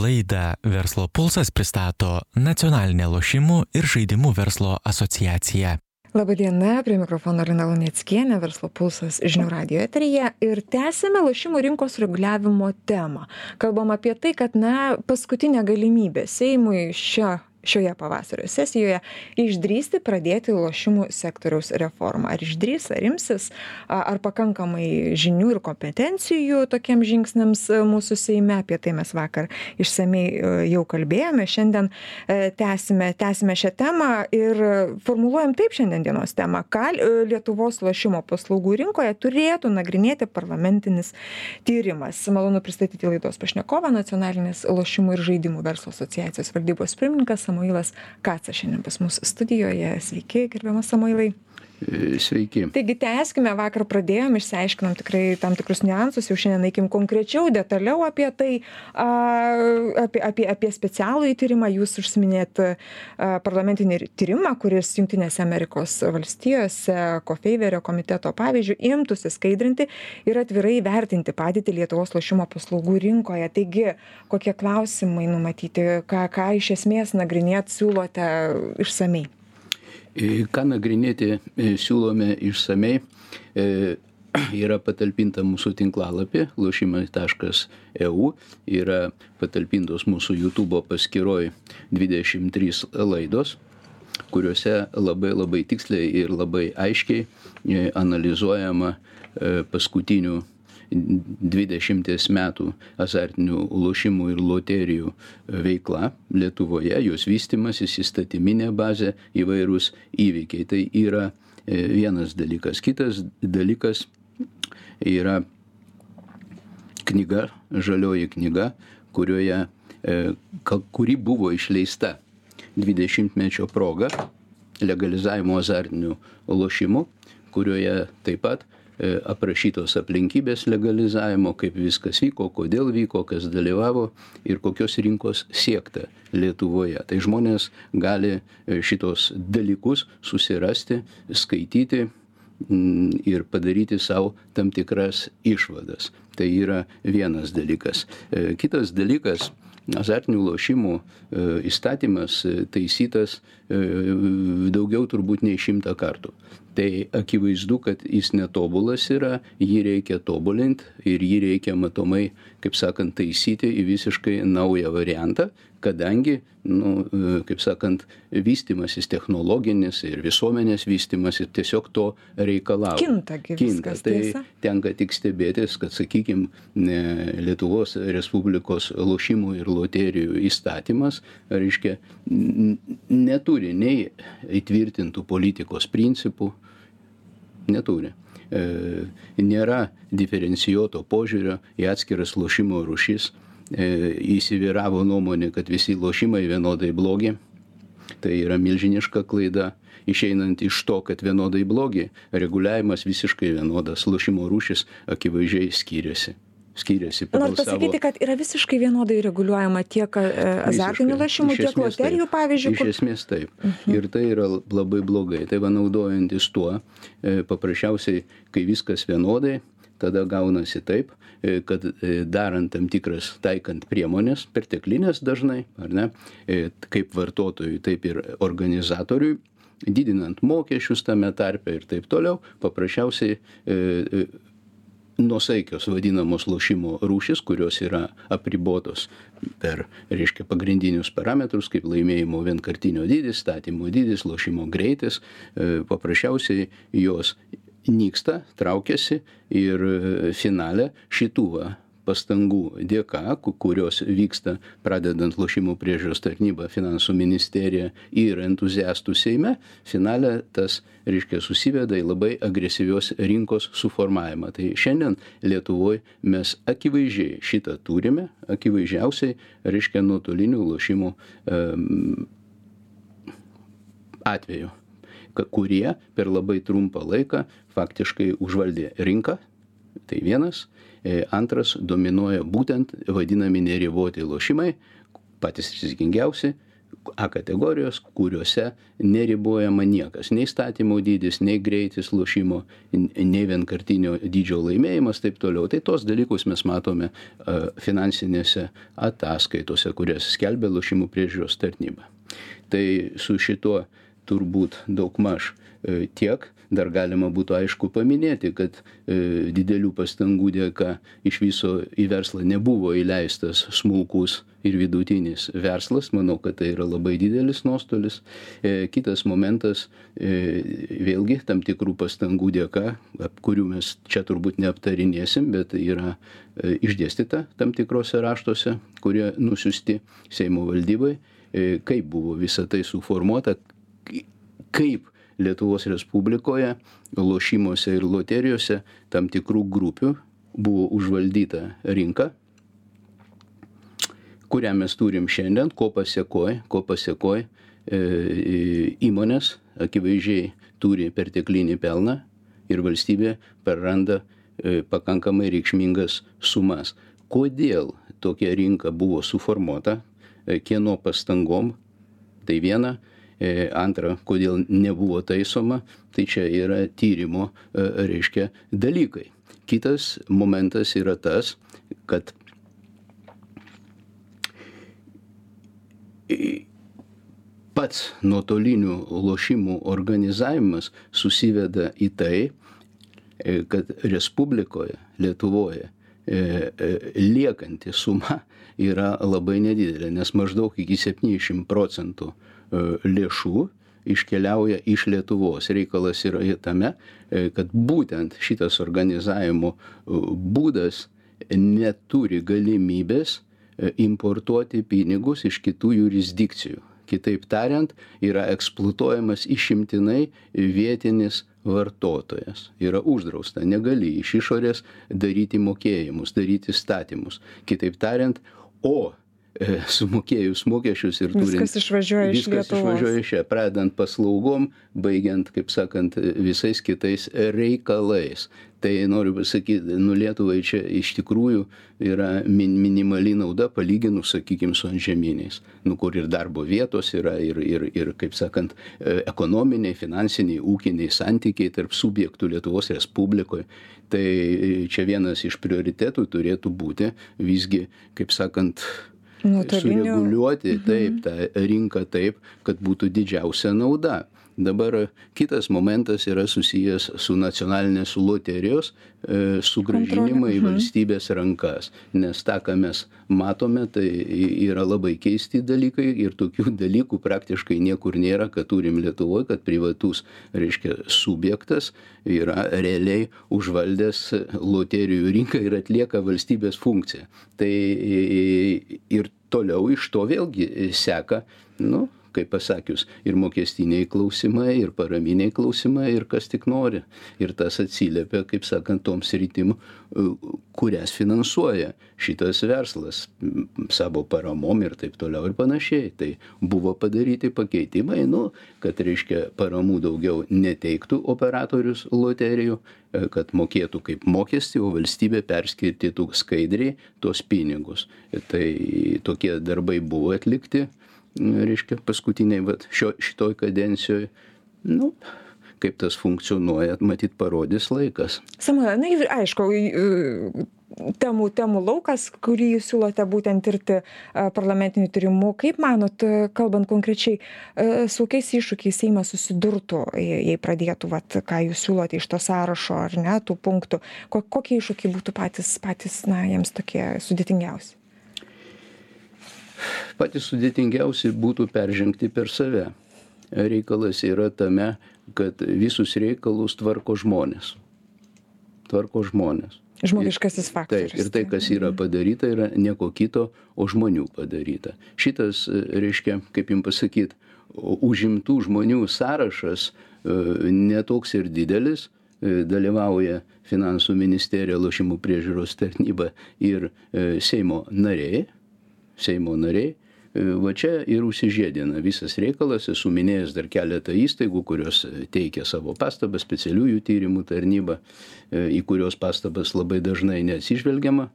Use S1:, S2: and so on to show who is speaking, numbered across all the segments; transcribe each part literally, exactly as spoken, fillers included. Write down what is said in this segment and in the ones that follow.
S1: Laidą Verslo pulsas pristato Nacionalinė lošimų ir žaidimų verslo asociacija.
S2: Labadiena, prie mikrofono Lina Luneckienė, Verslo pulsas žinių radijo eteryje ir tęsime lošimų rinkos reguliavimo temą. Kalbam apie tai, kad na, paskutinė galimybė Seimui šio šioje pavasario sesijoje išdrįsti pradėti lošimų sektoriaus reformą. Ar išdrys, ar imsis, ar pakankamai žinių ir kompetencijų tokiems žingsniams mūsų Seime. Apie tai mes vakar išsamei jau kalbėjome. Šiandien tęsime, tęsime šią temą ir formuluojam taip šiandien dienos temą. Ką Lietuvos lošimo paslaugų rinkoje turėtų nagrinėti parlamentinis tyrimas. Malonu pristatyti laidos pašnekovą, Nacionalinės lošimų ir žaidimų verslo asociacijos valdybos pirmininkas Samuilas Kacas šiandien pas mus studijoje. Sveiki, gerbiamas Samuilai.
S3: Sveiki.
S2: Taigi tęskime, vakar pradėjom, išsiaiškinom tikrai tam tikrus niuansus, jau šiandien eikim konkrečiau, detaliau apie tai, a, apie, apie, apie specialų įtyrimą. Jūs užsiminėt a, parlamentinį tyrimą, kuris Jungtinėse Amerikos valstijose Kofeiverio komiteto pavyzdžių imtųsi skaidrinti ir atvirai vertinti padėtį Lietuvos lošimo paslaugų rinkoje. Taigi, kokie klausimai numatyti, ką, ką iš esmės nagrinėt siūlote išsamei?
S3: Ką nagrinėti siūlome išsamei, yra patalpinta mūsų tinklalapį lošimai taškas e u, yra patalpintos mūsų YouTube paskyroj dvidešimt trys laidos, kuriuose labai labai tiksliai ir labai aiškiai analizuojama paskutinių dvidešimties metų azartinių lošimų ir loterijų veikla Lietuvoje, jos vystymasis, įstatyminė bazė, įvairūs įvykiai. Tai yra vienas dalykas. Kitas dalykas yra knyga, žalioji knyga, kurioje, kuri buvo išleista dvidešimtmečio proga legalizavimo azartinių lošimų, kurioje taip pat aprašytos aplinkybės legalizavimo, kaip viskas vyko, kodėl vyko, kas dalyvavo ir kokios rinkos siekta Lietuvoje. Tai žmonės gali šitos dalykus susirasti, skaityti ir padaryti savo tam tikras išvadas. Tai yra vienas dalykas. Kitas dalykas, azartinių lošimų įstatymas taisytas daugiau turbūt nei šimtą kartų. Tai akivaizdu, kad jis netobulas yra, jį reikia tobulinti ir jį reikia matomai, kaip sakant, taisyti į visiškai naują variantą, kadangi, nu, kaip sakant, vystymasis technologinis ir visuomenės vystymasis tiesiog to reikalauja.
S2: Kinta gi viskas, tiesa.
S3: Tai tenka tik stebėtis, kad, sakykime, Lietuvos Respublikos lošimų ir loterijų įstatymas, reiškia, neturi nei įtvirtintų politikos principų, neturi. E, nėra diferencijuoto požiūrio į atskiras lošimo rūšis. E, įsivyravo nuomonė, kad visi lošimai vienodai blogi. Tai yra milžiniška klaida. Išeinant iš to, kad vienodai blogi, reguliavimas visiškai vienodas, lošimo rūšis akivaizdžiai skiriasi. skiriasi pagal
S2: savo... Noriu pasakyti, kad yra visiškai vienodai reguliuojama tiek azartinių lošimų, tiek loterijų, pavyzdžiui.
S3: Iš esmės taip. Mhm. Ir tai yra labai blogai. Tai va naudojantis tuo, paprasčiausiai, kai viskas vienodai, tada gaunasi taip, kad darant tam tikras, taikant priemonės, perteklinės dažnai, ar ne, kaip vartotojui, taip ir organizatoriui, didinant mokesčius tame tarpe ir taip toliau, paprasčiausiai e, nuosaikios vadinamos lošimo rūšis, kurios yra apribotos per, reiškia, pagrindinius parametrus, kaip laimėjimo vienkartinio dydis, statymo dydis, lošimo greitis, e, paprasčiausiai jos nyksta, traukiasi ir finale šitų va, pastangų dėka, kurios vyksta pradedant lošimų priežiūros tarnybą, finansų ministerija ir entuziastų Seime, finale tas, reiškia, susiveda į labai agresyvios rinkos suformavimą. Tai šiandien Lietuvoje mes akivaizdžiai šitą turime, akivaizdžiausiai, reiškia, nuotolinių lošimų um, atveju, kurie per labai trumpą laiką faktiškai užvaldė rinką. Tai vienas. Antras, dominuoja būtent vadinami neriboti lošimai, patys rizikingiausi, A kategorijos, kuriuose neribojama niekas, nei statymo dydis, nei greitis lošimo, nei vienkartinio dydžio laimėjimas, taip toliau. Tai tos dalykus mes matome finansinėse ataskaitose, kurias skelbia lošimų priežiūros tarnyba. Tai su šituo turbūt daugmaž tiek. Dar galima būtų aišku paminėti, kad e, didelių pastangų dėka iš viso į verslą nebuvo įleistas smulkus ir vidutinis verslas. Manau, kad tai yra labai didelis nuostolis. E, kitas momentas, e, vėlgi tam tikrų pastangų dėka, kurių mes čia turbūt neaptarinėsim, bet yra e, išdėstyta tam tikrose raštuose, kurie nusiusti Seimo valdybai, e, kaip buvo visa tai suformuota, kaip Lietuvos Respublikoje, lošimuose ir loterijose tam tikrų grupių buvo užvaldyta rinka, kurią mes turim šiandien, ko pasekoj, ko pasekoj e, įmonės akivaizdžiai turi perteklinį pelną ir valstybė praranda e, pakankamai reikšmingas sumas. Kodėl tokia rinka buvo suformuota, e, kieno pastangom, tai viena. Antra, kodėl nebuvo taisoma, tai čia yra tyrimo, reiškia, dalykai. Kitas momentas yra tas, kad pats nuotolinių lošimų organizavimas susiveda į tai, kad Respublikoje, Lietuvoje, liekanti suma yra labai nedidelė, nes maždaug iki septyniasdešimt procentų lėšų iškeliauja iš Lietuvos. Reikalas yra tame, kad būtent šitas organizavimo būdas neturi galimybės importuoti pinigus iš kitų jurisdikcijų. Kitaip tariant, yra eksploatuojamas išimtinai vietinis vartotojas. Yra uždrausta, negali iš išorės daryti mokėjimus, daryti statymus. Kitaip tariant, o sumokėjus mokesčius ir turint...
S2: Viskas išvažiuoja iš Lietuvos.
S3: Viskas išvažiuoja iš čia, pradant paslaugom, baigiant, kaip sakant, visais kitais reikalais. Tai noriu pasakyti, nu Lietuvai čia iš tikrųjų yra min, minimali nauda palyginus, sakykime, su antžeminiais, nu, kur ir darbo vietos yra, ir, ir, ir, kaip sakant, ekonominiai, finansiniai, ūkiniai santykiai tarp subjektų Lietuvos Respublikoje. Tai čia vienas iš prioritetų turėtų būti visgi, kaip sakant, sureguliuoti taip, tą rinką taip, kad būtų didžiausia nauda. Dabar kitas momentas yra susijęs su nacionalinės loterijos e, sugrąžinimą į valstybės rankas. Nes tą, ką mes matome, tai yra labai keisti dalykai ir tokių dalykų praktiškai niekur nėra, kad turim Lietuvoje, kad privatus, reiškia, subjektas yra realiai užvaldęs loterijų rinką ir atlieka valstybės funkciją. Tai ir toliau iš to vėlgi seka, nu, kaip pasakius, ir mokestiniai klausimai, ir paraminiai klausimai, ir kas tik nori. Ir tas atsiliepia, kaip sakant, tom sritim, kurias finansuoja šitas verslas savo paramom ir taip toliau ir panašiai. Tai buvo padaryti pakeitimai, nu, kad, reiškia, paramų daugiau neteiktų operatorius loterijų, kad mokėtų kaip mokestį, o valstybė perskirtytų skaidriai tuos pinigus. Tai tokie darbai buvo atlikti, reiškia, paskutiniai, vat, šio, šitoj kadencijoje, nu, kaip tas funkcionuoja, matyt, parodys laikas.
S2: Samuel, na ir aišku, temų, temų laukas, kurį jūs siūlote būtent tirti parlamentinių tyrimų. Kaip manot, kalbant konkrečiai, su kokiais iššūkiais Seimas susidurtų, jei pradėtų, vat, ką jūs siūlote iš to sąrašo, ar ne, tų punktų, kokie iššūkiai būtų patys, patys, na, jiems tokie sudėtingiausi?
S3: Patys sudėtingiausi būtų peržengti per save. Reikalas yra tame, kad visus reikalus tvarko žmonės. Tvarko žmonės.
S2: Žmogiškasis faktorius.
S3: Taip, ir tai, kas yra padaryta, yra nieko kito, o žmonių padaryta. Šitas, reiškia, kaip jums pasakyti, užimtų žmonių sąrašas netoks ir didelis, dalyvauja Finansų ministerija, lošimų priežiūros tarnyba ir Seimo nariai. Seimo nariai, va čia ir užsižiedina visas reikalas. Esu minėjęs dar keletą įstaigų, kurios teikia savo pastabas, specialiųjų tyrimų tarnybą, į kurios pastabas labai dažnai neatsižvelgiama.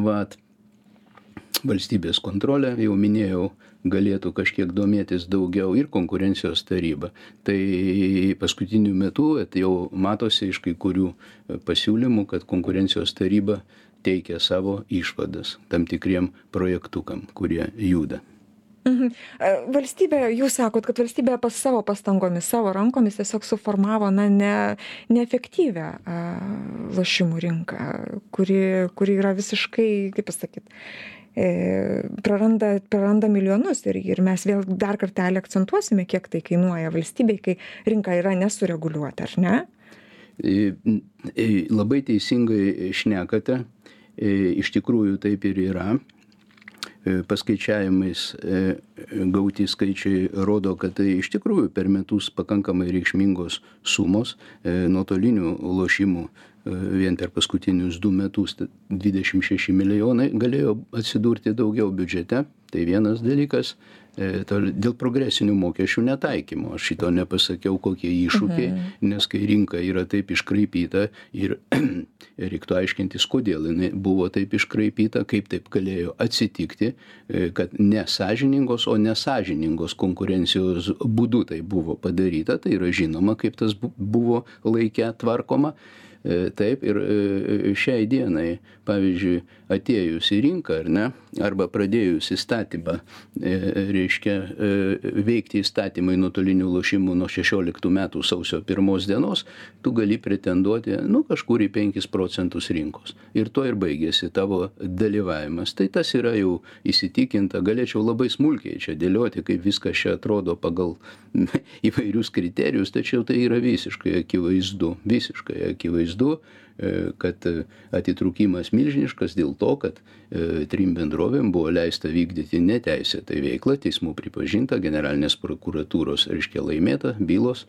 S3: Vat. valstybės kontrolė, jau minėjau, galėtų kažkiek domėtis daugiau ir konkurencijos taryba. Tai paskutiniu metu jau matosi iš kai kurių pasiūlymų, kad konkurencijos taryba teikia savo išvadas tam tikriem projektukam, kurie juda.
S2: Mhm. Valstybė, jūs sakot, kad valstybė pas savo pastangomis, savo rankomis tiesiog suformavo na, ne, neefektyvę a, lošimų rinką, kuri, kuri yra visiškai, kaip pasakyti, e, praranda, praranda milijonus ir, ir mes vėl dar kartelį akcentuosime, kiek tai kainuoja valstybei, kai rinka yra nesureguliuota, ar ne?
S3: Labai teisingai šnekate, iš tikrųjų taip ir yra. Paskaičiavimais gauti skaičiai rodo, kad tai iš tikrųjų per metus pakankamai reikšmingos sumos nuotolinių lošimų vien per paskutinius du metus dvidešimt šeši milijonai galėjo atsidurti daugiau biudžete. Tai vienas dalykas, dėl progresinių mokesčių netaikymo. Aš šito nepasakiau, kokie iššūkiai, mhm. nes kai rinka yra taip iškraipyta ir reiktų aiškintis, kodėl jinai buvo taip iškraipyta, kaip taip galėjo atsitikti, kad nesąžiningos, o nesąžiningos konkurencijos būdu tai buvo padaryta, tai yra žinoma, kaip tas buvo laike tvarkoma. Taip, ir šiai dienai, pavyzdžiui, atėjus į rinką, ar ne, arba pradėjus įstatymą, reiškia, veikti įstatymai nuotolinių lošimų nuo šešioliktų metų sausio pirmos dienos, tu gali pretenduoti, nu, kažkur į penkis procentus rinkos. Ir to ir baigėsi tavo dalyvavimas. Tai tas yra jau įsitikinta, galėčiau labai smulkiai čia dėlioti, kaip viskas čia atrodo pagal įvairius kriterijus, tačiau tai yra visiškai akivaizdu, visiškai akivaizdu. Kad atitrūkimas milžiniškas dėl to, kad trim bendrovėm buvo leista vykdyti neteisėtą veiklą, teismų pripažinta, generalinės prokuratūros, reiškia, laimėta bylos,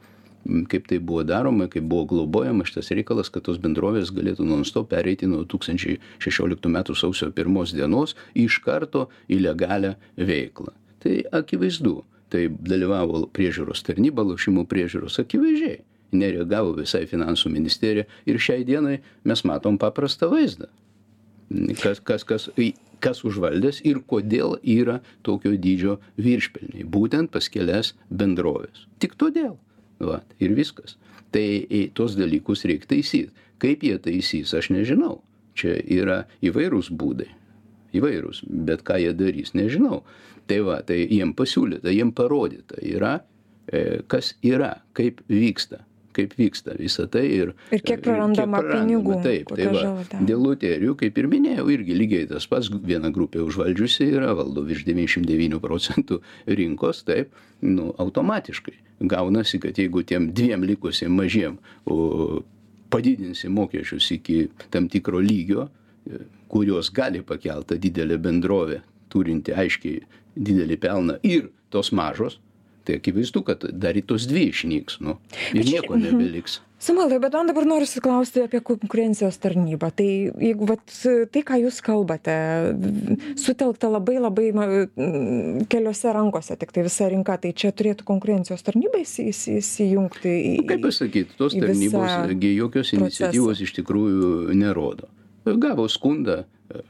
S3: kaip tai buvo daroma, kaip buvo globojama šitas reikalas, kad tos bendrovės galėtų non-stop pereiti nuo du tūkstančiai šešioliktų metų sausio pirmos dienos iš karto į legalią veiklą. Tai akivaizdu, tai dalyvavo priežiūros tarnyba, lošimų priežiūros akivaizdžiai. Nereagavo visai finansų ministerija ir šiai dienai mes matom paprastą vaizdą, kas, kas, kas, kas užvaldęs ir kodėl yra tokio dydžio viršpelniai, būtent pas kelias bendrovės. Tik todėl. Va, ir viskas. Tai tos dalykus reikia taisyti. Kaip jie taisys, aš nežinau. Čia yra įvairūs būdai. Įvairūs, bet ką jie darys, nežinau. Tai va, tai jiem pasiūlyta, jiem parodyta yra, kas yra, kaip vyksta. kaip vyksta visą tai ir,
S2: ir kiek prarandama, kiek prarandama pinigų.
S3: Taip, tai va, dėl loterijų, kaip ir minėjau, irgi lygiai tas pats, viena grupė užvaldžiusi yra, valdo virš devyniasdešimt devynių procentų rinkos, taip, nu, automatiškai gaunasi, kad jeigu tiem dviem likusiem mažiem o, padidinsi mokesčius iki tam tikro lygio, kurios gali pakelti didelę bendrovę, turinti aiškiai didelį pelną ir tos mažos, tai akivaizdu, kad dar į tos dvi išnyks, nu, ir nieko nebeliks.
S2: Samuelai, bet man dabar noriu klausti apie konkurencijos tarnybą. Tai jeigu vat, tai, ką jūs kalbate, sutelkta labai labai keliose rankose, tik tai visa rinka, tai čia turėtų konkurencijos tarnybai įsijungti į...
S3: Nu, kaip pasakyti, tos tarnybos jokios iniciatyvos iš tikrųjų nerodo. Gavo skundą,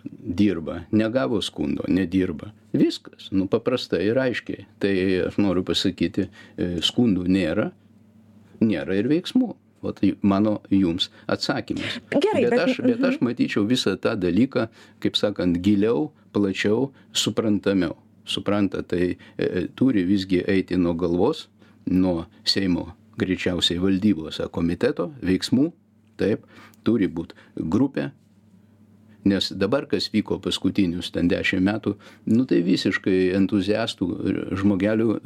S3: dirba, negavo skundo, nedirba. Viskas, nu paprastai ir aiškiai. Tai aš noriu pasakyti, skundų nėra, nėra ir veiksmų. O tai mano jums atsakymas.
S2: Gerai,
S3: bet, bet, aš, bet aš matyčiau visą tą dalyką, kaip sakant, giliau, plačiau, suprantamiau. Supranta, tai e, turi visgi eiti nuo galvos, nuo Seimo greičiausiai valdybos komiteto veiksmų, taip, turi būti grupė. Nes dabar, kas vyko paskutinius ten dešimt metų, nu tai visiškai entuziastų žmogelių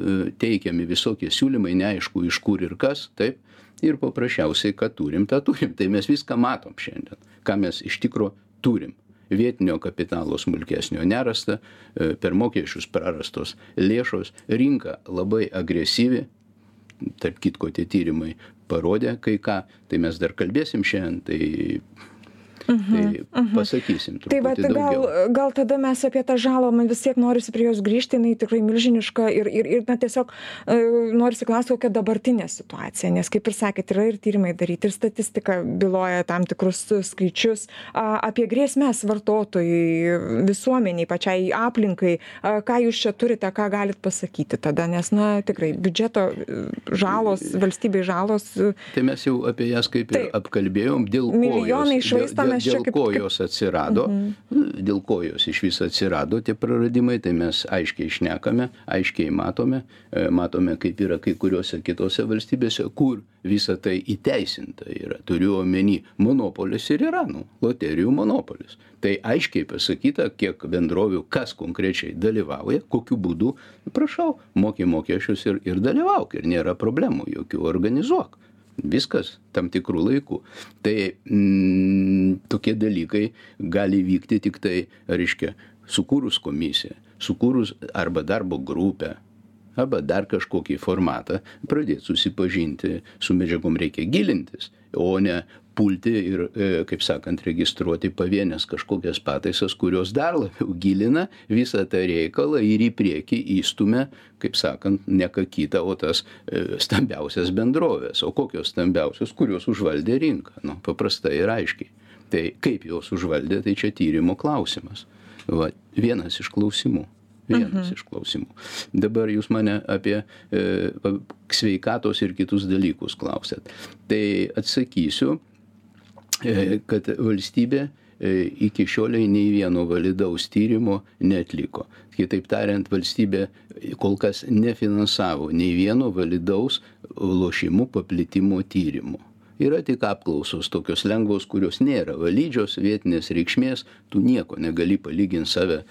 S3: teikiami visokie siūlymai, neaišku iš kur ir kas, taip, ir paprasčiausiai, kad turim, tą turim. Tai mes viską matom šiandien, ką mes iš tikro turim. Vietinio kapitalo smulkesnio nerasta, per mokesčius prarastos lėšos, rinka labai agresyvi, tarp kitko tie tyrimai parodė kai ką, tai mes dar kalbėsim šiandien, tai...
S2: Mhm,
S3: tai
S2: mhm.
S3: pasakysim truputį
S2: tai va, tai
S3: daugiau.
S2: Gal, gal tada mes apie tą žalą, man vis tiek norisi prie jos grįžti, jinai tikrai milžiniška ir, ir, ir na, tiesiog e, norisi klausti, kokia dabartinė situacija, nes kaip ir sakėt, yra ir tyrimai daryti, ir statistika byloja tam tikrus skaičius a, apie grėsmės vartotojai, visuomeniai, pačiai aplinkai, a, ką jūs čia turite, ką galit pasakyti tada, nes, na, tikrai biudžeto žalos, valstybei žalos.
S3: Tai mes jau apie jas kaip ir
S2: Taip.
S3: apkalbėjom, dėl ko
S2: Milijonai
S3: jos, dėl,
S2: švaistomės
S3: dėl,
S2: čia
S3: dėl
S2: kaip-
S3: ko
S2: kaip-
S3: jos atsirado, mhm. dėl ko jos iš viso atsirado tie praradimai, tai mes aiškiai šnekame, aiškiai matome, e, matome, kaip yra kai kuriuose kitose valstybėse, kur visa tai įteisinta yra. Turiu omeny, monopolis ir yra, nu, loterijų monopolis. Tai aiškiai pasakyta, kiek bendrovių, kas konkrečiai dalyvauja, kokiu būdu, prašau, moki mokesčius ir, ir dalyvauk, ir nėra problemų, jokių organizuok. Viskas tam tikrų laikų. Tai mm, tokie dalykai gali vykti tik tai, reiškia, sukūrus komisiją, sukūrus arba darbo grupę, arba dar kažkokį formatą, pradėti susipažinti su medžiagom, reikia gilintis, o ne pulti ir, kaip sakant, registruoti pavienės kažkokias pataisas, kurios dar labiau gilina visą tą reikalą ir į priekį įstumia, kaip sakant, ne ką kitą, o tas stambiausias bendrovės. O kokios stambiausios, kurios užvaldė rinką? Nu, paprastai ir aiškiai. Tai kaip jos užvaldė, tai čia tyrimo klausimas. Va, vienas iš klausimų. Vienas mhm. iš klausimų. Dabar jūs mane apie e, sveikatos ir kitus dalykus klausėt. Tai atsakysiu, e, kad valstybė e, iki šioliai nei vieno validaus tyrimo neatliko. Kitaip tariant, valstybė kol kas nefinansavo nei vieno validaus lošimų paplitimo tyrimo. Yra tik apklausos tokios lengvos, kurios nėra valydžios, vietinės reikšmės, tu nieko negali palyginti save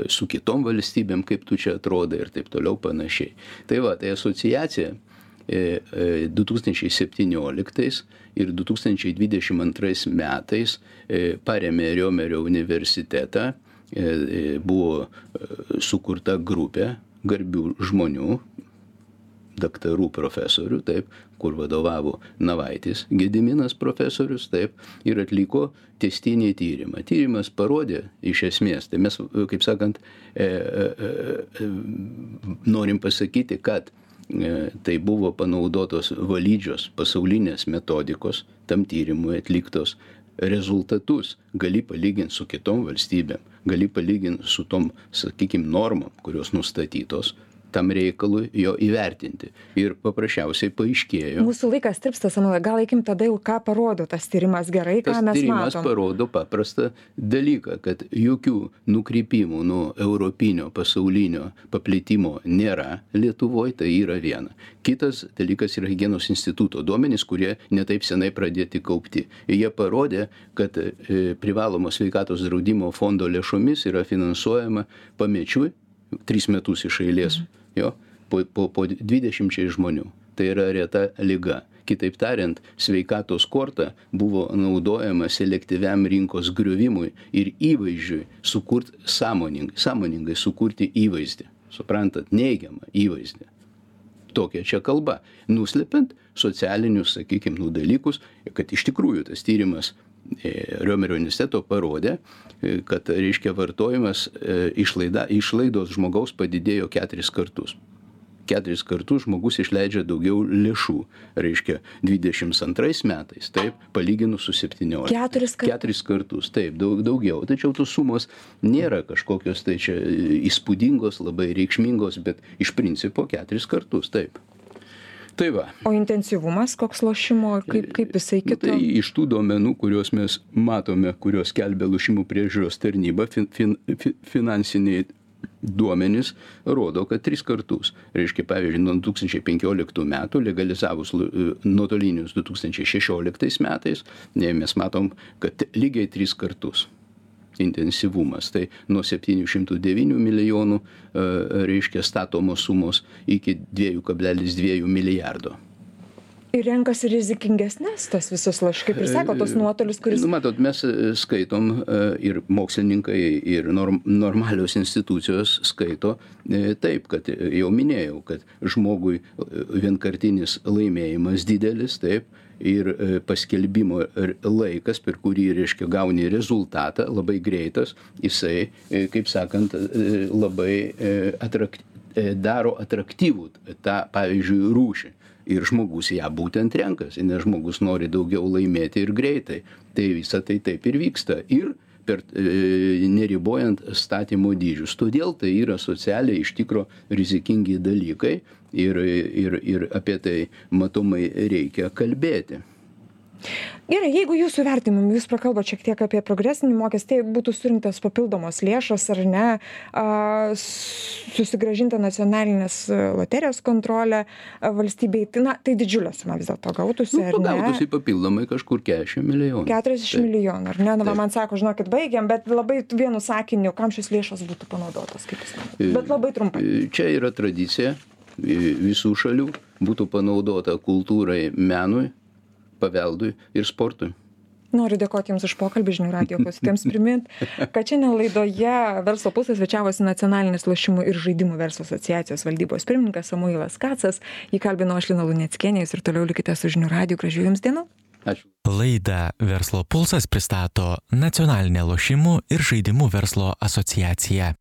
S3: su kitom valstybėm, kaip tu čia atrodai ir taip toliau panašiai. Tai va, tai asociacija du tūkstančiai septynioliktais ir du tūkstančiai dvidešimt antrais metais parėmė Riomerio universitetą, buvo sukurta grupė garbių žmonių, daktarų profesorių, taip, kur vadovavo Navaitis, Gediminas profesorius, taip, ir atliko tęstinį tyrimą. Tyrimas parodė iš esmės, tai mes, kaip sakant, e, e, e, norim pasakyti, kad e, tai buvo panaudotos valydžios pasaulinės metodikos, tam tyrimui atliktos rezultatus gali palyginti su kitom valstybėm, gali palyginti su tom, sakykime, normom, kurios nustatytos, tam reikalui jo įvertinti. Ir paprasčiausiai paaiškėjo.
S2: Mūsų laikas tirpsta, Samuelai, gal eikim tada jau, ką parodo tas tyrimas gerai, ką mes matom.
S3: Tas tyrimas parodo paprastą dalyką, kad jokių nukrypimų nuo europinio pasaulinio paplitimo nėra Lietuvoje, tai yra viena. Kitas dalykas yra Higienos instituto duomenys, kurie netaip senai pradėti kaupti. Jie parodė, kad privalomo sveikatos draudimo fondo lėšomis yra finansuojama pamečiui tris metus iš eilės. Jo, po, po, po dvidešimčiai žmonių. Tai yra reta liga. Kitaip tariant, sveikatos korta buvo naudojama selektyviam rinkos griuvimui ir įvaizdžiui sukurti sąmoningai, sąmoningai sukurti įvaizdį. Suprantat, neigiamą įvaizdį. Tokia čia kalba. Nuslepiant socialinius, sakykime, nu, dalykus, kad iš tikrųjų tas tyrimas Riomerio universiteto parodė, kad, reiškia, vartojimas išlaida, išlaidos žmogaus padidėjo keturis kartus. Keturis kartus žmogus išleidžia daugiau lėšų, reiškia, dvidešimt antrais metais, taip, palyginus su septynioliktais.
S2: Keturis kartus.
S3: Keturis kartus, taip, daug, daugiau. Tačiau tos sumos nėra kažkokios tai čia įspūdingos, labai reikšmingos, bet iš principo keturis kartus, taip. Tai va.
S2: O intensyvumas, koks lošimo, kaip, kaip jisai kito?
S3: Tai iš tų duomenų, kuriuos mes matome, kuriuos skelbia lošimų priežiūros tarnyba, fin, fin, finansiniai duomenys rodo, kad tris kartus. Reiškia, pavyzdžiui, nuo du tūkstančiai penkioliktų metų legalizavus nuotolinius du tūkstančiai šešioliktais metais, mes matom, kad lygiai tris kartus intensyvumas. Tai nuo septynių šimtų devynių milijonų, reiškia, statomos sumos iki dviejų kablelis dviejų milijardo.
S2: Ir renkasi rizikingesnės tas visus lošimus, kaip ir sako, tos nuotolius, kuris...
S3: Nu, matot, mes skaitom ir mokslininkai, ir norm, normalios institucijos skaito taip, kad jau minėjau, kad žmogui vienkartinis laimėjimas didelis, taip, ir paskelbimo laikas, per kurį, reiškia, gauni rezultatą, labai greitas, jisai, kaip sakant, labai atraktyvus, daro atraktyvų tą, pavyzdžiui, rūšį. Ir žmogus ją būtent renkasi, nes žmogus nori daugiau laimėti ir greitai. Tai visa tai taip ir vyksta. Ir per, e, neribojant statymo dydžius. Todėl tai yra socialiai iš tikro rizikingi dalykai ir, ir, ir apie tai matomai reikia kalbėti.
S2: Gerai, jeigu jūsų vertinimu, jūs prakalbate šiek tiek apie progresinį mokestį, tai būtų surinktas papildomos lėšos ar ne, a, susigrąžinta nacionalinės loterijos kontrolė valstybei, tai, na, tai didžiulė suma vis dėlto gautųsi,
S3: nu,
S2: ar ne?
S3: Gautųsi papildomai kažkur keturiasdešimt milijonų.
S2: keturiasdešimt milijonų, ar ne? Na, man sako, žinokit, baigiam, bet labai vienu sakiniu, kam šis lėšos būtų panaudotos, kaip jūs manate? Bet labai trumpai.
S3: Čia yra tradicija visų šalių, būtų panaudota kultūrai, menui, paveldui ir sportui.
S2: Noriu dėkoti Jums už pokalbį, žinių radijo klausytojams primint, kad šiandien laidoje Verslo pulsas svečiavosi Nacionalinės lošimų ir žaidimų verslo asociacijos valdybos pirmininkas Samuilas Kacas. Jį kalbino aš, Lina Luneckienė, jūs ir toliau likite su žinių radiju. Gražių Jums dienų.
S3: Ačiū.
S1: Laidą Verslo pulsas pristato Nacionalinė lošimų ir žaidimų verslo asociacija.